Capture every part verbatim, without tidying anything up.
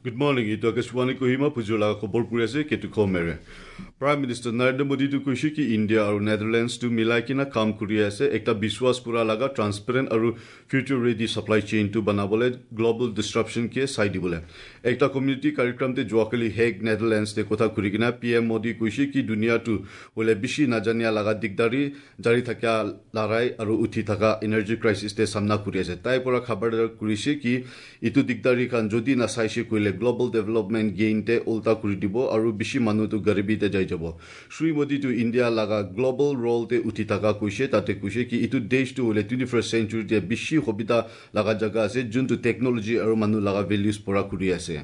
Good morning. এইটো আকাশবাণী কহিমা পুজোৰ লগা খবৰ কৰি আছে কেটু খমেৰে। প্ৰাইম মিনিষ্টাৰ নৰেন্দ্ৰ মোদীটো কৈছে কি ইণ্ডিয়া আৰু নেডাৰলেণ্ডছটো মিলাই কিনে কাম কৰি আছে একটা বিশ্বাস কৰা লগা ট্ৰান্সপেৰেণ্ট আৰু ফিউচাৰ ৰেডি ছাপ্লাই চেইনটো বনাবলৈ গ্ল'বেল ডিছৰাপশ্যনকে চাই দিবলৈ। একটা কমিউনিটি কাৰ্যক্ৰমতে যোৱাকালি হেগ নেডাৰলেণ্ডছতে কথা কৰি কিনে পি এম মোদী কৈছে কি দুনিয়াটো বোলে বেছি নাজানিয়া লগা দিগদাৰী জাৰি থকা লৰাই আৰু উঠি থকা এনাৰ্জি ক্ৰাইচিছতে সামনা কৰি আছে। তাইৰ পৰা খবৰ কৰিছে কি ইটো দিগদাৰী খান যদি নাচাইছে কৰিলে গ্ল'বেল ডেভেলপমেণ্ট গেইনতে উল্টা কৰি দিব আৰু বেছি মানুহটো গৰিবীতে যাই যাব। শ্ৰী মোদীটো ইণ্ডিয়া লগা গ্ল'বেল ৰলতে উঠি থকা কৈছে। তাতে কৈছে কি ইটো দেশটো হ'লে টুৱেণ্টি ফাৰ্ষ্ট চেঞ্চুৰীতে বেছি সুবিধা লগা জেগা আছে যোনটো টেকনলজি আৰু মানুহ লগা ভেলিউজ পৰা কৰি আছে।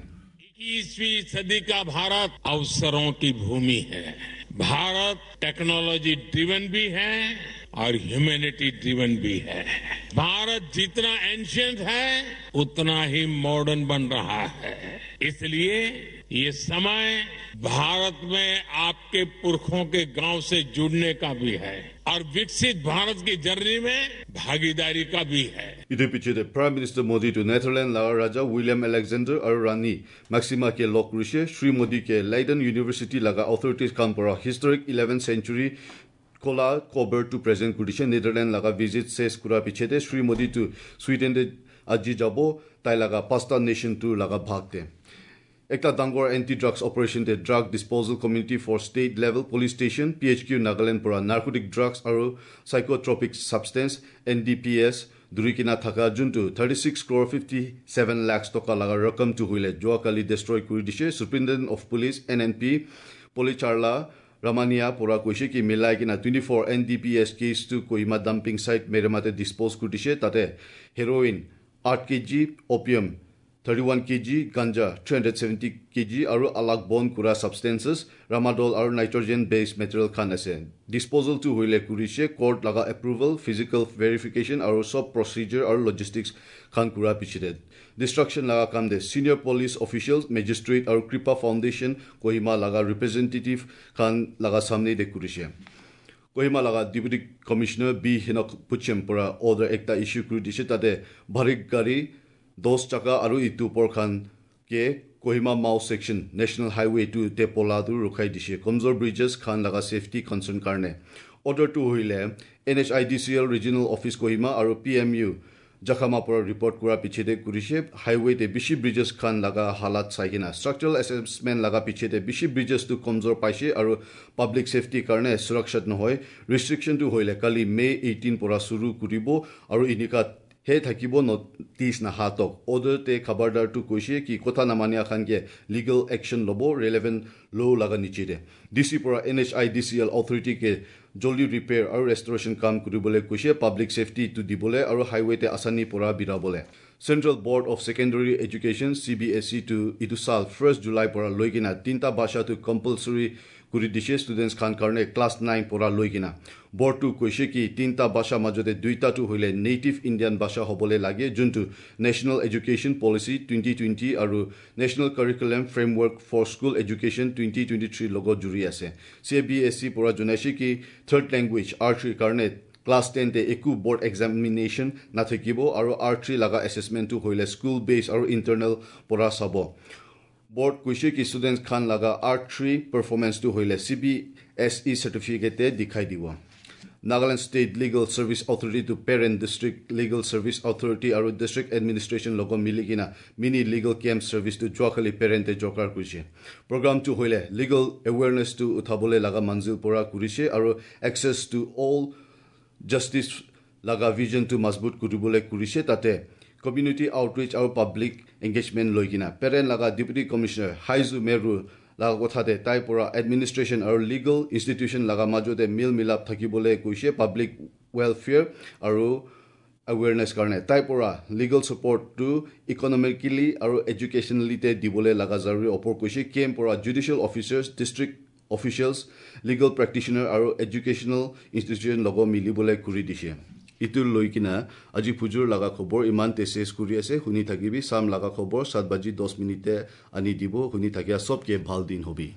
इक्कीसवीं सदी का भारत अवसरों की भूमि है। भारत टेक्नोलॉजी ड्रिवन भी है और ह्यूमैनिटी ड्रिवन भी है। भारत जितना एंशियंट है उतना ही मॉडर्न बन रहा है। इसलिए ये समय भारत में आपके पुरखों के गांव से जुड़ने का भी है और विकसित भारत की जर्नी में भागीदारी का भी है। ইটোৰ পিছতে প্ৰাইম মিনিষ্টাৰ মোদীটো নেডাৰলেণ্ড লগা ৰাজা উইলিয়াম আলেকজেণ্ডাৰ আৰু ৰাণী মেক্সিমাকে লগ কৰিছে। শ্ৰী মোদীকে লাইডেন ইউনিভাৰ্চিটি লগা অথৰিটিজ কাম পৰা হিষ্টৰিক ইলেভেন চেঞ্চুৰী কলা কভাৰটো প্ৰেজেণ্ট কৰিছে। নেডাৰলেণ্ড লগা ভিজিট চেছ কৰাৰ পিছতে শ্ৰী মোদীটো ছুইডেনতে আজি যাব তাই লগা পাঁচটা নেশ্যনটো লগা ভাগতে। একটা ডাঙৰ এণ্টি ড্ৰাগছ অপাৰেশ্যনতে drug disposal committee for state level police station P H Q Nagaland পৰা নাৰ্কোটিক ড্ৰাগছ আৰু psychotropic substance N D P S ধৰি কিনা থকা যোনটো thirty six crore fifty seven lakhs টকা লগা ৰকমটো হ'লে যোৱাকালি ডেষ্ট্ৰয় কৰি দিছে। Superintendent of police N N P Policharla Ramaniah পৰা কৈছে কি মিলাই কিনা twenty four N D P S কেছটো কহিমা ডাম্পিং চাইট মেৰেমাতে ডিছপ'জ কৰি দিছে। তাতে হেৰ'ইন আঠ KG, opium thirty one KG, ganja three hundred seventy KG আৰু আলাগ বন কৰা ছাবষ্টেঞ্চেছ ৰামাডল আৰু নাইট্ৰজেন বেছ মেটেৰিয়েল খান আছে। ডিছপ'জেলটো হ'লে কৰিছে কোৰ্ট লগা এপ্ৰুভেল, ফিজিকেল ভেৰিফিকেশ্যন আৰু চব প্ৰচিজাৰ আৰু লজিষ্টিক্স খান কৰাৰ পিছতে। ডিষ্ট্ৰাকশ্যন লগা কাম দে ছিনিয়ৰ পুলিচ অফিচিয়েল, মেজিষ্ট্ৰেট আৰু কৃপা ফাউণ্ডেশ্যন কহিমা লগা ৰিপ্ৰেজেণ্টেটিভ খান লগা সামনে দে কৰিছে। কহিমা লগা ডেপুটি কমিশ্যনাৰ বি হিনক পুচেম পৰা অৰ্ডাৰ একটা ইছ্যু কৰি দিছে। তাতে ভাৰী গাড়ী দহ চাকা আৰু ইটো ওপৰখান কে Kohima Mao section national highway two তে পলাটো ৰখাই দিছে কমজোৰ ব্ৰিজেছ খান লগা ছেফটি কনচাৰ্ণ কাৰণে। অৰ্ডাৰটো হ'লে N H I D C L regional office Kohima আৰু পি এম ইউ জাখামা পৰা ৰিপৰ্ট কৰাৰ পিছতে কৰিছে। হাইৱেতে বেছি ব্ৰিজেছ খান লগা হালাত চাই কিনা ষ্ট্ৰাকচাৰেল এছেচমেণ্ট লগা পিছতে বেছি ব্ৰিজেছটো কমজোৰ পাইছে আৰু পাব্লিক ছেফটিৰ কাৰণে সুৰক্ষিত নহয়। ৰেষ্ট্ৰিকশ্যনটো হ'লে কালি মে' এইটিন পৰা চুৰু কৰিব আৰু এনেকুৱা হে থাকিব নটিচ নাহাতক। অৰ্ডাৰতে খবৰদাৰটো কৈছে কি কথা নামানিয়া খানকে লিগেল একশ্যন ল'ব ৰেলেভেণ্ট ল' লগা নিচিৰে। ডি চিৰ পৰা N H I D C L অথৰিটিকে জলদি ৰিপেয়াৰ আৰু ৰেষ্টৰেশ্যন কাম কৰিবলৈ কৈছে পাব্লিক ছেফটিটো দিবলৈ আৰু হাইৱেতে আচানি পৰা বিৰাবলৈ। Central board of secondary education C B S ইটো ইটো চাল ফাৰ্ষ্ট জুলাই পৰা লৈ কিনা তিনিটা ভাষাটো কম্পালচৰি কৰি দিছে ষ্টুডেণ্টছ খান কাৰণে ক্লাছ নাইন পৰা লৈ কিনা। বৰ্ডটো কৈছে কি তিনিটা ভাষাৰ মাজতে দুইটাটো হ'লে নেটিভ ইণ্ডিয়ান ভাষা হ'বলৈ লাগে যোনটো national education policy twenty twenty আৰু national curriculum framework for school education twenty twenty থ্ৰীৰ লগত জুৰি আছে। চি বি এছ ইৰ পৰা জনাইছে কি থাৰ্ড লেংগুৱেজ আৰ থ্ৰীৰ কাৰণে ক্লাছ টেনতে একো বৰ্ড এক্সামিনেশ্যন নাথাকিব আৰু আৰ থ্ৰী লগা এছেচমেণ্টটো হ'লে স্কুল বেছ আৰু ইণ্টাৰনেল পৰা চাব। বৰ্ড কৈছে কি ষ্টুডেণ্টছ খান লগা আৰ থ্ৰী পাৰফৰ্মেঞ্চটো হ'লে চি বি এছ ই চাৰ্টিফিকেটে দেখাই দিব। Nagaland state legal service authority to Peren district legal service authority আৰু ডিষ্ট্ৰিক্ট এডমিনিষ্ট্ৰেশ্যন লগত মিলি কিনা মিনি লিগেল কেম্প ছাৰ্ভিচটো যোৱাকালি পেৰেণ্টে জকাৰ কৰিছে। প্ৰগ্ৰামটো হ'লে লিগেল এৱেৰনেছটো উঠাবলৈ লগা মঞ্জিল পৰা কৰিছে আৰু এক্সেছ টু অল জাষ্টিছ লগা ভিজনটো মজবুত কৰিবলৈ কৰিছে। তাতে কমিউনিটি আউটৰিচ আৰু পাব্লিক এংগেজমেণ্ট লৈ কিনা পেৰেণ্ট লগা ডেপুটি কমিশ্যনাৰ হাইজু মেৰু লগা কথাতে তাইৰ পৰা এডমিনিষ্ট্ৰেশ্যন আৰু লিগেল ইনষ্টিটিউশ্যন লগা মাজতে মিল মিলাপ থাকিবলৈ কৈছে পাব্লিক ৱেলফেয়াৰ আৰু এৱেৰনেছ কাৰণে। তাইৰ পৰা লিগেল ছাপৰ্টটো ইকনমিকেলি আৰু এডুকেশ্যনেলিতে দিবলৈ লগা জৰুৰী ওপৰ কৈছে। কেম্প পৰা judicial officers, district officials, legal practitioner আৰু এডুকেশ্যনেল ইনষ্টিটিউশ্যন লগত মিলিবলৈ কৰি দিছে। ইটো লৈ কিনা আজি পুজোৰ লগা খবৰ ইমানতে চেছ কৰি আছে। শুনি থাকিবি চাম লগা খবৰ সাত বাজি দহ মিনিটে আনি দিব। শুনি থাকিয়া চবকে ভাল দিন হবি।